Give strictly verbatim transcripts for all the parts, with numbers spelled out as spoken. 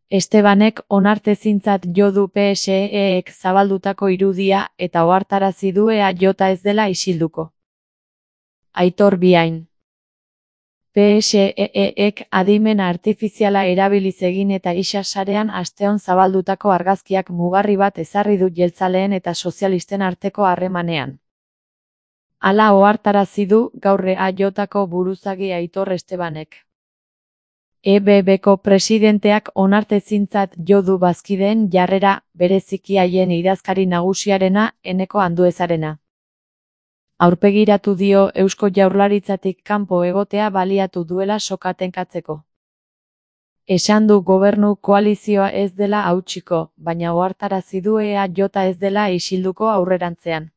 Estebanek onartezintzat jo du P S E-ek zabaldutako irudia eta ohartarazi du E A J ez dela isilduko. Aitor Biain. P S E-ek adimen artifiziala erabiliz egin eta isa sarean asteon zabaldutako argazkiak mugarri bat ezarri du jeltzaleen eta sozialisten arteko harremanean. Hala ohartarazi du gaur E A Jko buruzagi Aitor Estebanek. E B Bko presidenteak onartezintzat jo du bazkideen jarrera, bereziki haien idazkari nagusiarena, Eneko Anduezarena. Aurpegiratu dio Eusko Jaurlaritzatik kanpo egotea baliatu duela soka tenkatzeko. Esan du gobernu koalizioa ez dela hautsiko, baina ohartarazi du E A J ez dela isilduko aurrerantzean.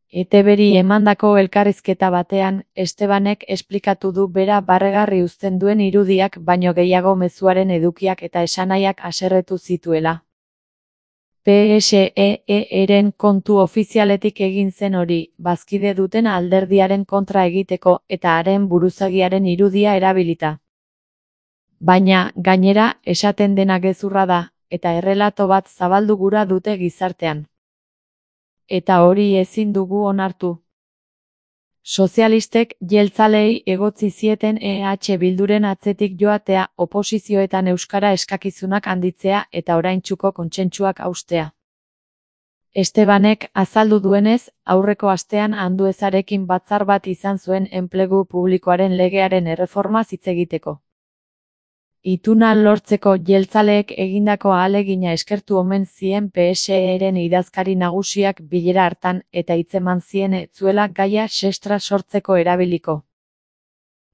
E T Bri emandako elkarrizketa batean, Estebanek esplikatu du bera barregarri uzten duen irudiak baino gehiago mezuaren edukiak eta esanahiak haserretu zituela. P S E-eren kontu ofizialetik egin zen hori, bazkide duten alderdiaren kontra egiteko eta haren buruzagiaren irudia erabilita. Baina, gainera, esaten dena gezurra da, eta errelato bat zabaldu gura dute gizartean. Eta hori ezin dugu onartu. Sozialistek jeltzaleei egotzi zieten E H Bilduren atzetik joatea, oposizioetan euskara eskakizunak handitzea eta oraintsuko kontsentsuak haustea. Estebanek azaldu duenez, aurreko astean Anduezarekin batzar bat izan zuen enplegu publikoaren legearen erreformaz hitz egiteko. Ituna lortzeko jeltzaleek egindako ahalegina eskertu omen zien P S E-eren idazkari nagusiak bilera hartan eta hitzeman zien ez zuela gaia sestra sortzeko erabiliko.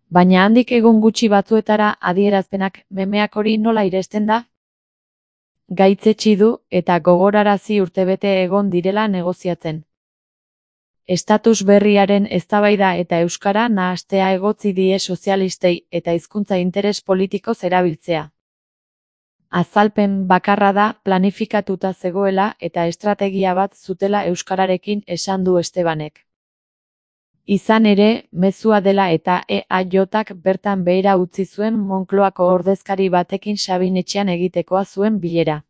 Baina handik egun gutxi batzuetara adierazpenak memeak hori nola iresten da? Gaitzetsi du eta gogorarazi urtebete egon direla negoziatzen. Estatus berriaren eztabaida eta euskara nahastea egotzi die sozialistei eta hizkuntza interes politikoz erabiltzea. Azalpen bakarra da planifikatuta zegoela eta estrategia bat zutela euskararekin esan du Estebanek. Izan ere, mezua dela eta E A Jk bertan behera utzi zuen Moncloako ordezkari batekin Sabinetxean egitekoa zuen bilera.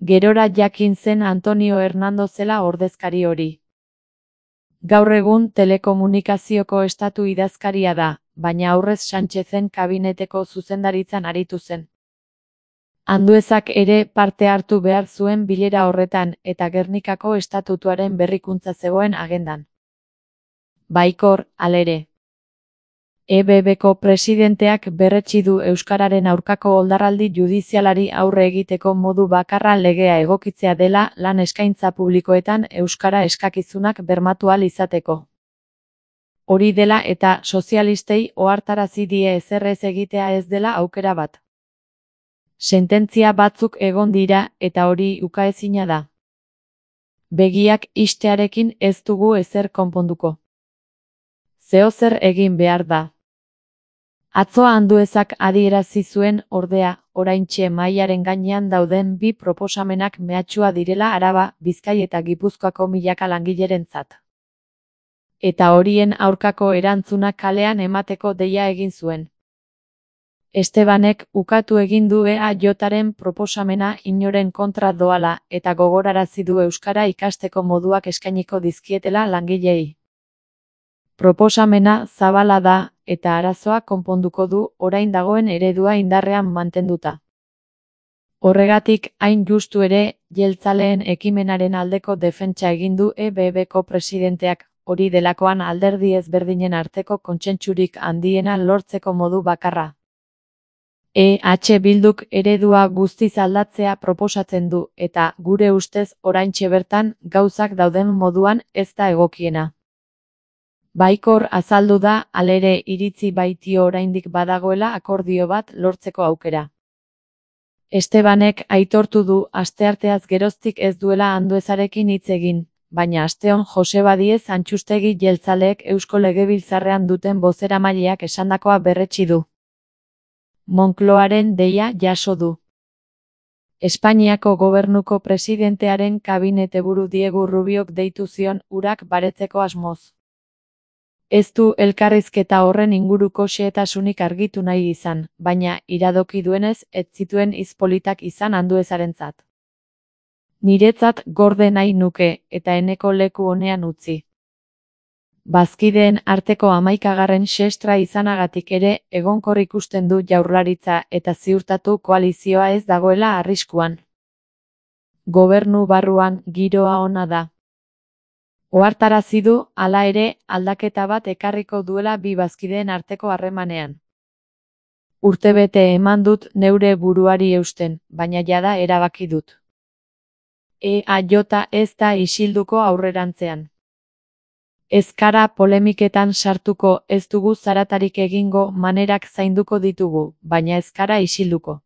Gerora jakin zen Antonio Hernando zela ordezkari hori. Gaur egun telekomunikazioko estatu idazkaria da, baina aurrez Sánchezen kabineteko zuzendaritzan aritu zen. Anduezak ere parte hartu behar zuen bilera horretan eta Gernikako estatutuaren berrikuntza zegoen agendan. Baikor, halere. E B Bko presidenteak berretsi du euskararen aurkako oldarraldi judizialari aurre egiteko modu bakarra legea egokitzea dela lan eskaintza publikoetan euskara eskakizunak bermatu ahal izateko. Hori dela eta sozialistei ohartarazi die ezer ez egitea ez dela aukera bat. Sententzia batzuk egon dira eta hori ukaezina da. Begiak ixtearekin ez dugu ezer konponduko. Zeozer egin behar da. Atzo Anduezak adierazi zuen, ordea, oraintxe mahaiaren gainean dauden bi proposamenak mehatxua direla Araba, Bizkai eta Gipuzkoako milaka langilerentzat. Eta horien aurkako erantzuna kalean emateko deia egin zuen. Estebanek ukatu egin du E A Jren proposamena inoren kontra doala eta gogorarazi du euskara ikasteko moduak eskainiko dizkietela langileei. Proposamena zabala da eta arazoa konponduko du orain dagoen eredua indarrean mantenduta. Horregatik, hain justu ere, jeltzaleen ekimenaren aldeko defentsa egin du E B Bko presidenteak, hori delakoan alderdi ezberdinen arteko kontsentsurik handiena lortzeko modu bakarra. E H Bilduk eredua guztiz aldatzea proposatzen du eta, gure ustez, oraintxe bertan, gauzak dauden moduan ez da egokiena. Baikor azaldu da, halere iritzi baitio oraindik badagoela akordio bat lortzeko aukera. Estebanek aitortu du astearteaz geroztik ez duela Anduezarekin hitz egin, baina asteon Joseba Diez Antxustegi jeltzaleek Eusko Legebiltzarrean duten bozeramaileak esandakoa berretsi du. Moncloaren deia jaso du. Espainiako gobernuko presidentearen kabineteburu Diego Rubiok deitu zion urak baretzeko asmoz. Ez du elkarrizketa horren inguruko xehetasunik argitu nahi izan, baina iradoki duenez ez zituen hitz politak izan Anduezarentzat. Niretzat gorde nahi nuke, eta eneko leku onean utzi. Bazkideen arteko hamaikagarren xestra izanagatik ere egonkor ikusten du Jaurlaritza eta ziurtatu koalizioa ez dagoela arriskuan. Gobernu barruan giroa ona da. Ohartarazi du, hala ere, aldaketa bat ekarriko duela bi bazkideen arteko harremanean. Urtebete eman dut neure buruari eusten, baina jada erabaki dut. E A J ez da isilduko aurrerantzean. Ez gara polemiketan sartuko, ez dugu zaratarik egingo, manerak zainduko ditugu, baina ez gara isilduko.